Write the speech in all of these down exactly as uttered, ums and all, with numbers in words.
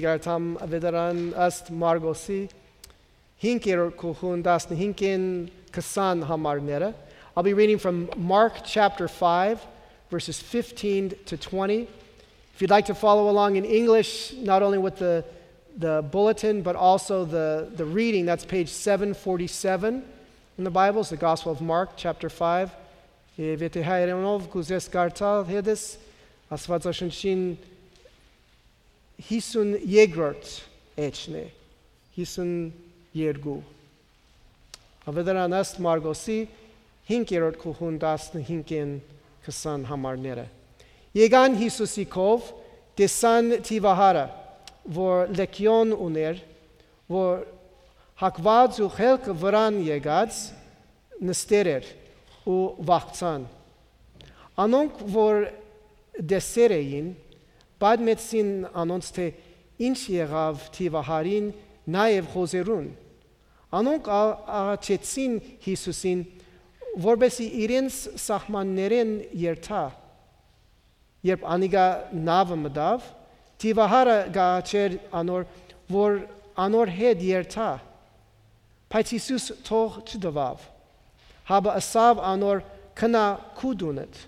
Gartam veteran ast Margosi Hinker kuhundas hinkin kasan hamarnera. I'll be reading from Mark chapter five, verses fifteen to twenty. If you'd like to follow along in English, not only with the, the bulletin, but also the, the reading, that's page seven forty-seven in the Bibles, the Gospel of Mark, chapter five. Hisun yegrot echne. Hisun yergu. Avedaran est margosi hinkerot kuhundas hinken kasan hamarnere. Yegan Hisusikov desan tivahara vor lekion uner vor hakvad zu helk varan yegads nesterer u vachtsan. Anonk vor deserein Bad metsin anons te inch եղավ tivահարին նաև խոզերուն. Անոնք աղաչեցին Հիսուսին, որբեսի իրենց սահմաններեն երթա. Երբ անիգա նավը մտավ, tivահարը գաչեր անոր, որ անոր հետ երթա. Բայց Հիսուս թող չդվավ. Հաբը ասավ անոր քնա քու դունդ,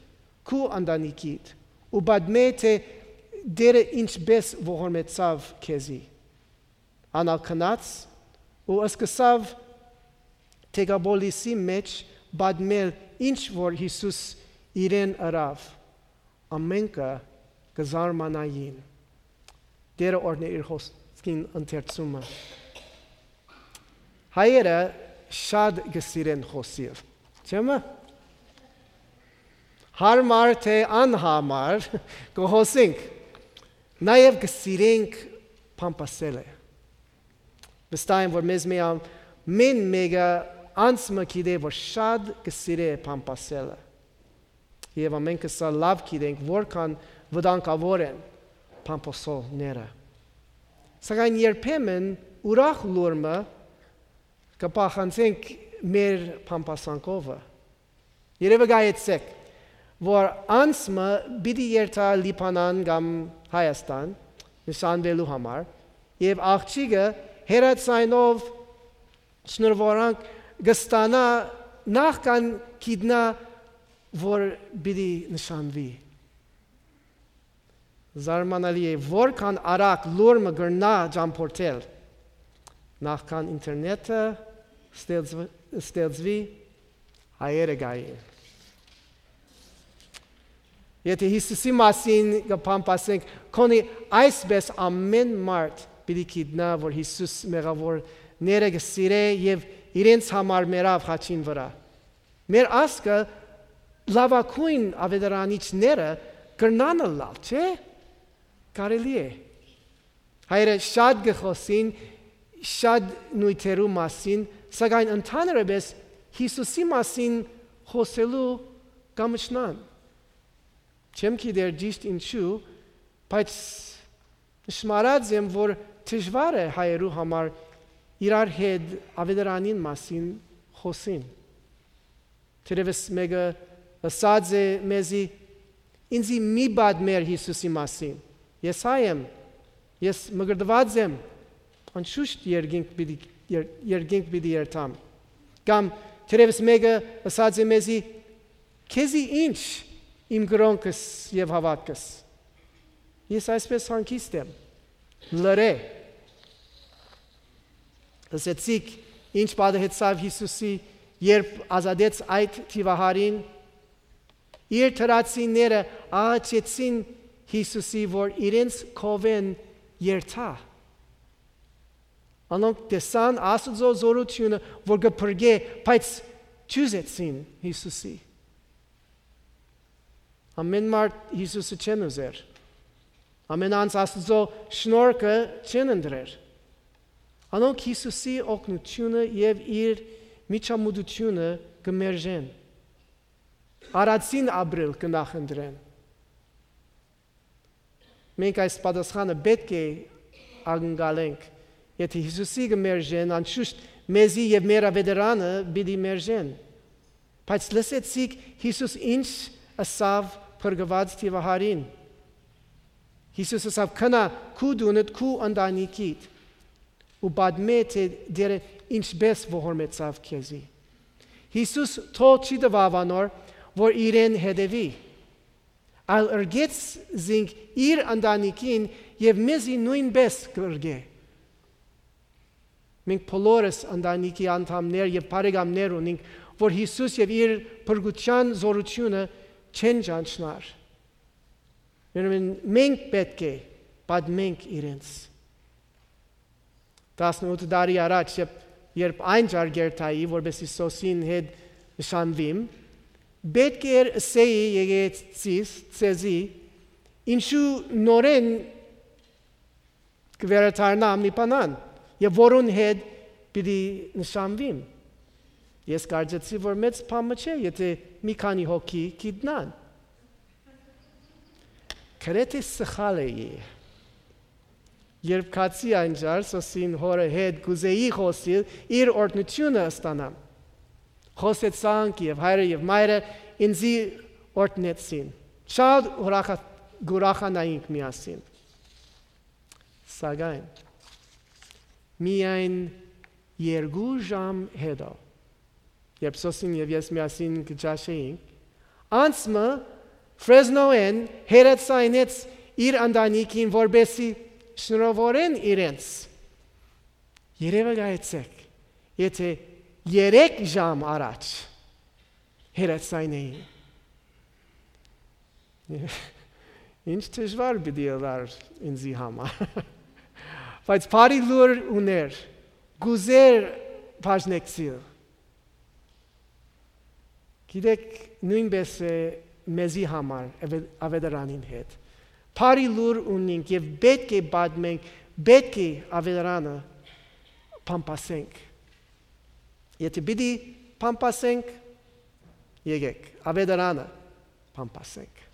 քու անդանիկիդ, ու բադմե թե Dere ինչպես ողորմեցավ քեզի անալ քնած ու ըսկսավ թեգաբոլիսի մեջ բադմել ինչ որ Հիսուս իրեն արավ ամենքը կզարմանային Dere օրնե իր խոսքին ընթերցումը հայերը շատ գսիրեն խոսիվ չեմը հարմար թե անհամար կհոսենք Նաև գսիրենք պամպասել է։ Վստահ որ մեզ միամ մեն մեգա անցմը գիտե որ շատ գսիրե պամպասելը։ Եվ ամենքը սա լավ գիտենք որքան վտանգավոր են պամպասողները։ Սակայն երբեմն ուրախ լուրմը կփախանցենք մեր պամպասանքովը։ Երևի գայեցեք որ անցմը բիդի երթա լիբանան կամ Հայաստան նշանվելու համար եւ աղջիկը հերացայնով շնորհվորանք գստանա նախքան գիտնա որ բիդի նշանվի զարմանալի է որքան արագ լուրը գրնա ճամփորդել նախքան ինտերնետը ստեղծվի հայերը գային Եթե Հիսուսի մասին կփամփասենք, քոնի այսպես ամեն մարդ պիտի գիտնա, որ Հիսուս մեղավորները կսիրե եւ իրենց համար մերավ խաչին վրա։ Մեր ասկը լավակույն ավետարանիչները կրնանը լալ, չէ՞։ Կարելի է։ Հայրը շատ գխոսին, շատ նույթերու մասին, սակայն ընդհանրապես Հիսուսի մասին խոսելու կամչնան։ Չեմ գիտեր ճիշտ ինչու, բայց նշմարած եմ, որ դժվար է հայերու համար իրար հետ ավետարանին մասին խոսին։ Թերևս մեկը ասած է մեզի ինձի մի բադ մեր Հիսուսի մասին։ Ես հայ եմ, ես մգրդված եմ, անշուշտ երկինք պիտի երկինք պիտի երթամ։ Կամ թերևս մեկը ասած է մեզի քեզի ինչ Իմ գրոնքս եւ հավատքս Ես այսպես հանգիստ եմ լրե Ասեցիք ինչ պատահեցավ Հիսուսի երբ ազատեց այդ թիվահարին իր թրացիները աղաչեցին Հիսուսի որ իրենց կովեն երթա Անոնք տեսան Աստծո զորությունը որ կփրկե բայց չուզեցին Հիսուսի Ամեն մարդ Հիսուսը չեն ուզեր։ Ամեն անց Աստծո շնորհքը չեն ընդրեր։ Անոնք Հիսուսի օգնությունը եւ իր միջամուդությունը կմերժեն։ Արածին ապրել կնախընտրեն։ Մենք այս պատասխանը պետք է ակնկալենք։ Եթե Հիսուսի կմերժեն, անշուշտ մեզի եւ մեր ավետարանը պիտի մերժեն։ Բայց լսեցիք Հիսուս ինչ ասավ փրկված թիվահարին Հիսուսը ասավ քնա քու դունդ քու ընտանիքիդ ու պատմե թե դերը ինչպես ողորմեցավ քեզի։ Հիսուս թող չի տվավանոր, որ իրեն հետևի, այլ ըրգեց զինք իր ընտանիքին և մեզի նույնպես կըրգե։ Մենք բոլորս ընտանիքի անդամներ և բարեկամներ ունենք, որ Հիսուս և իր փրկության զորությունը չեն ճանչնար։ Մենք պետք է պատմենք իրենց։ տասնութ տարի առաջ, երբ այն ջարգերտայի, որպեսզի Սոսին հետ նշանվիմ, պետք էր ասեի եկեղեցիս ցեզի, ինչու նորեն կվերադառնամ Լիբանան, եւ որուն հետ պիտի նշանվիմ։ Ես կարծեցի, որ մեծ բան չէ, եթե մի քանի հոգի գիտնան։ Գրեթե սխալ էի։ Երբ կացի անջար Սոսին հորը հետ գուզեի խոսիլ, իր օրհնությունը ստանամ։ Խոսեցանք եւ հայրը եւ մայրը ինձի օրհնեցին։ Շատ ուրախանայինք միասին։ Սակայն միայն երկու ժամ հետո, երբ Սոսին եւ ես միասին կճաշեինք, անցմը Ֆրեզնոեն հերացայնեց իր ընտանիքին, որպեսզի շնորհավորեն իրենց։ Երևը գայցեք, եթե երեք ժամ առաջ հերացայնեին։ Ինչ դժվար պիտի ըլար ինձի համար։ Բայց բարի լուր ուներ, գուզեր բաժնեկցիլ։ Գիտեք, նույնպես է մեզի համար ավետարանին հետ։ Բարի լուր ունենք և պետք է պատմենք, պետք է ավետարանը փամփասենք։ Եթե պիտի փամփասենք, եկեք, ավետարանը փամփասենք։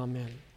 Ամեն։